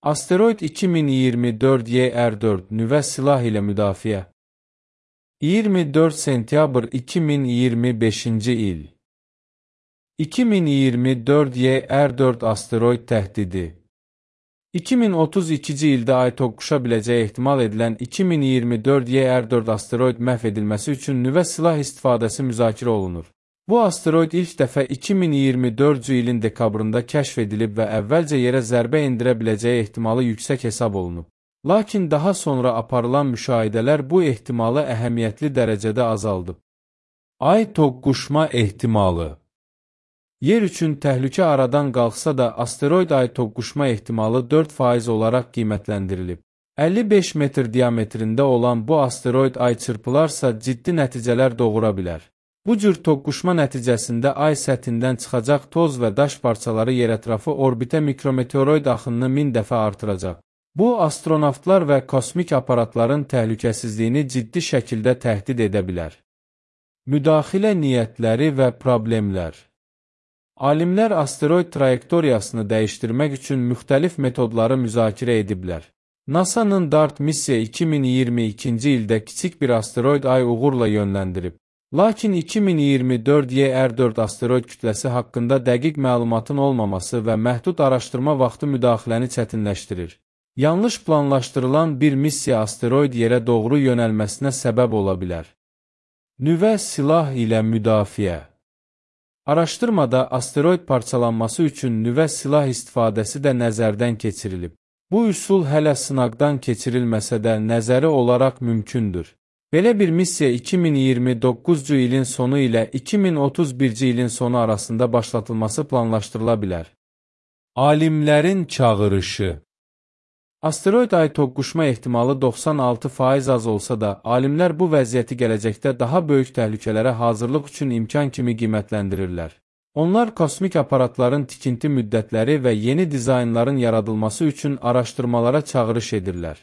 Asteroid 2024 YR4 nüvə silah ilə müdafiə. 24 sentyabr 2025-ci il. 2024 YR4 asteroid təhdidi. 2032-ci ildə ay toqquşa biləcəyi ehtimal edilən 2024 YR4 asteroid məhv edilməsi üçün nüvə silah istifadəsi müzakirə olunur. Bu asteroid ilk dəfə 2024-cü ilin dekabrında kəşf edilib və əvvəlcə yerə zərbə endirə biləcəyi ehtimalı yüksək hesab olunub. Lakin daha sonra aparılan müşahidələr bu ehtimalı əhəmiyyətli dərəcədə azaldıb. Ay toqquşma ehtimalı. Yer üçün təhlükə aradan qalxsa da, asteroid ay toqquşma ehtimalı 4% olaraq qiymətləndirilib. 55 metr diametrində olan bu asteroid ay çırpılarsa ciddi nəticələr doğura bilər. Bu cür toqquşma nəticəsində ay səthindən çıxacaq toz və daş parçaları yerətrafı orbitə mikrometeoroid axınını 1000 dəfə artıracaq. Bu, astronavtlar və kosmik aparatların təhlükəsizliyini ciddi şəkildə təhdid edə bilər. Müdaxilə niyyətləri və problemlər. Alimlər asteroid trayektoriyasını dəyişdirmək üçün müxtəlif metodları müzakirə ediblər. NASA-nın DART missiya 2022-ci ildə kiçik bir asteroid ay uğurla yönləndirib. Lakin 2024 YR4 asteroid kütləsi haqqında dəqiq məlumatın olmaması və məhdud araşdırma vaxtı müdaxiləni çətinləşdirir. Yanlış planlaşdırılan bir missiya asteroid yerə doğru yönəlməsinə səbəb ola bilər. Nüvə silah ilə müdafiə. Araşdırmada asteroid parçalanması üçün nüvə silah istifadəsi də nəzərdən keçirilib. Bu üsul hələ sınaqdan keçirilməsə də nəzəri olaraq mümkündür. Belə bir missiya 2029-cu ilin sonu ilə 2031-ci ilin sonu arasında başlatılması planlaşdırıla bilər. Alimlərin çağırışı. Asteroid ay toqquşma ehtimalı 96% az olsa da, alimlər bu vəziyyəti gələcəkdə daha böyük təhlükələrə hazırlıq üçün imkan kimi qiymətləndirirlər. Onlar kosmik aparatların tikinti müddətləri və yeni dizaynların yaradılması üçün araşdırmalara çağırış edirlər.